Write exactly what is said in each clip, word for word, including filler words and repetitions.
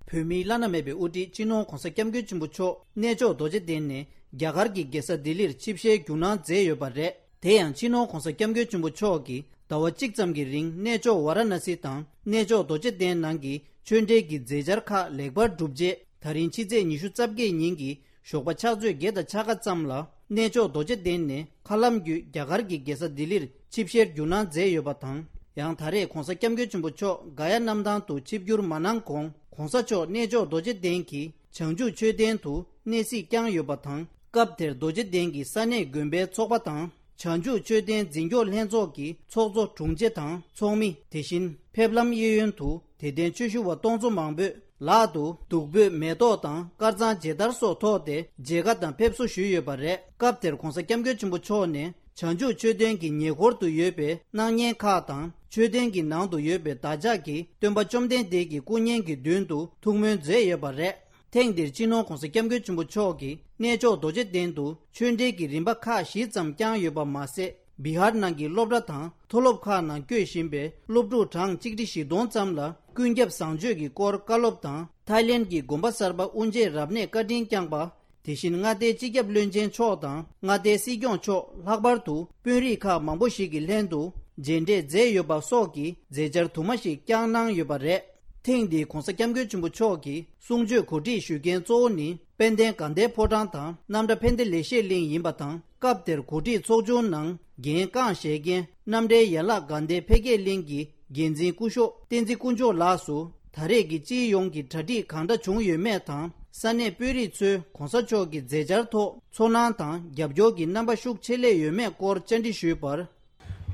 བོད་མིའི་བླ་ན་མེད་པའི་དབུ་ཁྲིད་སྤྱི་ནོར་༧གོང་ས་༧སྐྱབས་མགོན་ཆེན་པོ་མཆོག་གནས་མཆོག་རྡོ་རྗེ་གདན་ནས་རྒྱ་གར་གྱི་རྒྱལ་ས་ལྡི་ལིར་ཆིབས་ཞལ་བསྒྱུར་གནང་མཛད་ཡོད་པ་རེད། དེ་ཡང་སྤྱི་ནོར་༧གོང་ས་༧སྐྱབས་མགོན་ཆེན་པོ་མཆོག་གིས་ཟླ་བ་གཅིག་ཙམ་གྱི་རིང་གནས་མཆོག་ཝཱ་ར་ཎ་སི་དང་གནས་མཆོག་རྡོ་རྗེ་གདན་ནང་གི་ཆོས་འབྲེལ་གྱི་མཛད་འཆར་ཁག་ལེགས་པར་གྲུབ་རྗེས། ད་རིང་ཕྱི་ཚེས་ཉི་ཤུ་རྩ་བརྒྱད་ཉིན་གྱི་ཞོགས་པ་ཕྱག་ཚོད་བརྒྱད་དང་ཕྱེད་ཀ་ཙམ་ལ་གནས་མཆོག་རྡོ་རྗེ་གདན་ནས་མཁའ་ལམ་བརྒྱུད་རྒྱ་གར་གྱི་རྒྱལ་ས་ལྡི་ལིར་ཆིབས་ཞལ་བསྒྱུར་གནང་མཛད་ཡོད་པ་དང་། ཡང་ད་རེས་༧གོང་ས་༧སྐྱབས་མགོན་ཆེན་པོ་མཆོག་ག་ཡ་གནམ་ཐང་དུ་ཆིབས་བསྒྱུར་མ་གནང་གོང་༧གོང་ས་མཆོག་གནས་མཆོག་རྡོ་རྗེ་གདན་གྱི་བྱང་ཆུབ་མཆོད་རྟེན་དུ་གནས་གཟིགས་བསྐྱངས་ཡོད་པ་དང་། སྐབས་དེར་རྡོ་རྗེ་གདན་གྱི་ས་གནས་དགོན་པའི་ཚོགས་པ་དང་། བྱང་ཆུབ་མཆོད་རྟེན་འཛིན་སྐྱོང་ལྷན་ཚོགས་ཀྱི་ཚོགས་གཙོ་དྲུང་ཆེ་དང་ཚོགས་མི། དེ་བཞིན་ཕེབས་ལམ་གཡས་གཡོན་དུ་དད་ལྡན་ཆོས་ཞུ་བ་སྟོང་ཚོ་མང་པོས་ལག་ཏུ་བདུག་སྤོས་མེ་ཏོག་དང་དཀར་གཙང་མཇལ་དར་སོགས་ཐོགས་ཏེ་མཇལ་ཁ་དང་ཕེབས་བསུ་ཞུས་ཡོད་པ་རེད། སྐབས་དེར་༧གོང་ས་༧སྐྱབས་མགོན་ཆེན་པོ་མཆོག་ནས་བྱང་ཆུབ་མཆོད་རྟེན་གྱི་ཉེ་འཁོར་དུ་ཡོད་པའི་སྣང་བརྙན་ཁག་དང་། མཆོད་རྟེན་གྱི་ནང་དུ་ཡོད་པའི་བདག་ཅག་གི་སྟོན་པ་བཅོམ་ལྡན་འདས་ཀྱི་སྐུ་བརྙན་གྱི་མདུན་དུ་ཐུགས་སྨོན་མཛད་ཡོད་པ་རེད། ཐེངས་འདིར་སྤྱི་ནོར་༧གོང་ས་༧སྐྱབས་མགོན་ཆེན་པོ་མཆོག་གིས་གནས་མཆོག་རྡོ་རྗེ་གདན་དུ་ཆོས་འབྲེལ་གྱི་རིམ་པ་ཁག་བཞི་ཙམ་བསྐྱངས་ཡོད་པ་མ་ཟད། བི་ཧར་ནང་གི་སློབ་གྲྭ་དང་མཐོ་སློབ་ཁག་ནང་བསྐྱོད་བཞིན་པའི་སློབ་ཕྲུག་གྲངས་ཆིག་ཁྲི་བཞི་སྟོང་ཙམ་ལ་ཀུན་ཁྱབ་བཟང་སྤྱོད་ཀྱི་སྐོར་བཀའ་སློབ་དང་། ཐའི་ལེན་གྱི་དགོན་པ་གསར་པ་དབུ་འབྱེད་རབ་གནས་བཀའ་དྲིན་བསྐྱངས་པ། དེ་བཞིན་མངའ་སྡེའི་སྤྱི་ཁྱབ་བློན་ཆེན་མཆོག་དང་མངའ་སྡེའི་སྲིད་སྐྱོང་མཆོག་ལྷག་པར་དུ་དཔོན་རིགས་ཁག་མང་པོ་ཞིག་གི་ལྷན་དུ་མཇལ་འཕྲད་མཛད་ཡོད་པ་སོགས་ཀྱི་མཛད་འཆར་དུ་མ་ཞིག་བསྐྱངས་གནང་ཡོད་པ་རེད། ཐེངས་འདིའི་༧གོང་ས་༧སྐྱབས་མགོན་ཆེན་པོ་མཆོག་གི་གསུང་ཆོས་གོ་སྒྲིག་ཞུ་མཁན་གཙོ་བོ་ནི་དཔལ་ལྡན་དགའ་ལྡན་ཕོ་བྲང་དང་རྣམ་གྲྭ་ཕན་བདེ་ལེགས་བཤད་གླིང་ཡིན་པ་དང་། སྐབས་དེར་གོ་སྒྲིག་ཚོགས་ཆུང་ནང་འགན་རྐང་བཞེས་མཁན་རྣམ་གྲྭའི་ཡན་ལག་དགའ་ལྡན་འཕེལ་རྒྱས་གླིང་གི་འགན་འཛིན་སྐུ་ཞབས་བསྟན་འཛིན་དཀོན་མཆོག་ལགས་སུ། ད་རེས་ཀྱི་སྤྱིའི་ཡོངས་ཀྱི་གྲ་སྒྲིག་གང་འདྲ་བྱུང་ཡོད་མེད་དང་། ས་གནས་དཔོན་རིགས་ཚོས་༧གོང་ས་མཆོག་གི་མཛད་འཆར་ཐོག་ཚོར་སྣང་དང་རྒྱབ་སྐྱོར་གྱི་རྣམ་པ་ཤུགས་ཆེ་སླེབས་ཡོད་མེད་སྐོར་བཅར་འདྲི་ཞུས་པར།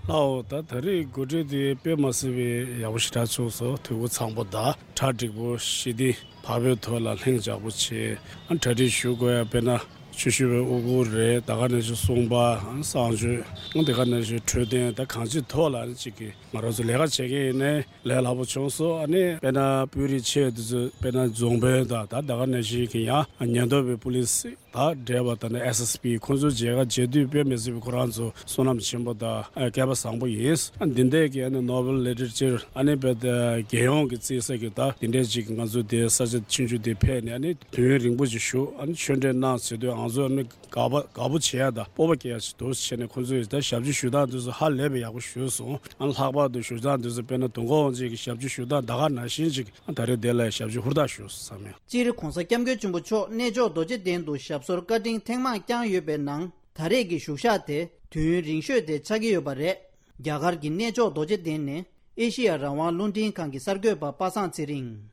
ལགས་འོ། ད་ད་རེས་གོ་སྒྲིག་དེ་དཔེ་མ་སྲིད་པའི་ཡག་པོ་ཞེ་དྲག་བྱུང་སོང་། འཐུས་སྒོ་ཚང་པོ་དང་གྲ་འགྲིག་པོ་ཞི་བདེ་བག་ཕེབས་ཐོག་ལ་ལྷིང་འཇགས་པོ་བྱས། ཨ་གྲ་སྒྲིག་ཞུ་དགོས་ཡ་དཔེར་ན་ཆོས་ཞུ་བའི་དབུ་གུར་རེད། ད་ག་ནང་བཞིན་གསུང་པ། ཨ་གསང་སྤྱོད། ཨ་དེ་ག་ནང་བཞིན་འཕྲོད་བསྟེན། ད་གང་ཅིའི་ཐོག་ལ་ཨ་ནི་གཅིག་གི་ང་རང་ཚོ་ལས་ཀ་བྱེད་མཁན་ཡིན་ནའི་ལས་སླ་པོ་བྱུང་སོང་། ཨ་ནི་དཔེར་ན་དཔོན་རིགས་ཆེ་དེ་ཚོ་དཔེར་ན་རྫོང་དཔོན་དང་། ད་ད་ག་ནང་བཞིན་གྱི་ཡང་ཉེན་རྟོག་པའི་པུ་ལིས་དང་འབྲེལ་བ་དང་ནི་ཨེས་ཨེས་པི་ཁོང་ཚོ་མཇལ་ཁ་བྱེད་དུས་དཔེ་མི་སྲིད་པའི་ཁོ་རང་ཚོ་བསོད་ནམས་ཆེན་པོ་དང་ཨ་སྐལ་པ་བཟང་པོ་ཡིན། ཨ་འདི་འདྲས་ཀྱི་ཨ་ནི་ནོ་བེལ་ལི་ཊ་རེ་ཅར་ཨ་ནི་དཔེ་ད་རྒྱལ་ཡོངས་ཀྱི་བརྩི་ས་གི་ད་འདི་འདྲས་ཅིག་ང་ཚོ་དེ་ས་ཆ་ཆུང་ཆུང་དེ་ཕེབས་ནས་ཨ་ནི་དུས་ཡུན་རིང་པོ་ཅིག་བཞུགས། ཨ་ནི་ཆོས་འབྲེལ་གནང་ཟེར་དུས་ང་ཚོ་ཨ་ནི་དགའ་པོ་དགའ་པོ་བྱེད་ཡ་དང་སྤོབས་པ་སྐྱེ་ཡ་ཞིག་འདུག་བྱས་ནས་ཁོང་ཚོས་ད་ཞབས་ཕྱི་ཞུ་སྟངས་དེ་ཚོ་ཧ་ལས་པའི་ཡག་པོ་ཞུས་སོང་། ཨ་ལྷག་པར་དུ་ཞུ་སྟངས་དེ་ཚོ་དཔེར་ན་དུས་འཁོར་དབང་ཆེན་གྱི་ཞབས་ཕྱི་ཞུ་སྟངས་ད་ག་ནང་བཞིན་ཅིག་ཨ་ད་རེས་དེ་ལ་ཞབས་ཕྱི་ཧུར་ཐག་ཞུས་སོང་བསམ་ཡོད། སྤྱིར་༧གོང་ས་༧སྐྱབས་མགོན་ཆེན་པོ་མཆོག་གནས་མཆོག་རྡོ་རྗེ་གདན་དུ་ཞབས་སོར་བཀའ་དྲིན་ཐེངས་མང་བསྐྱངས་ཡོད་པའི་ནང་། ད་རེས་ཀྱི་བཞུགས་ཞག་དེ་དུས་ཡུན་རིང་ཤོས་དེ་ཆགས་ཀྱི་ཡོད་པ་རེད། རྒྱ་གར་གྱི་གནས་མཆོག་རྡོ་རྗེ་གདན་ནས་ཨེ་ཤེ་ཡ་རང་དབང་རླུང་འཕྲིན་ཁང་གི་གསར་འགོད་པ་པ་སངས་ཚེ་རིང་།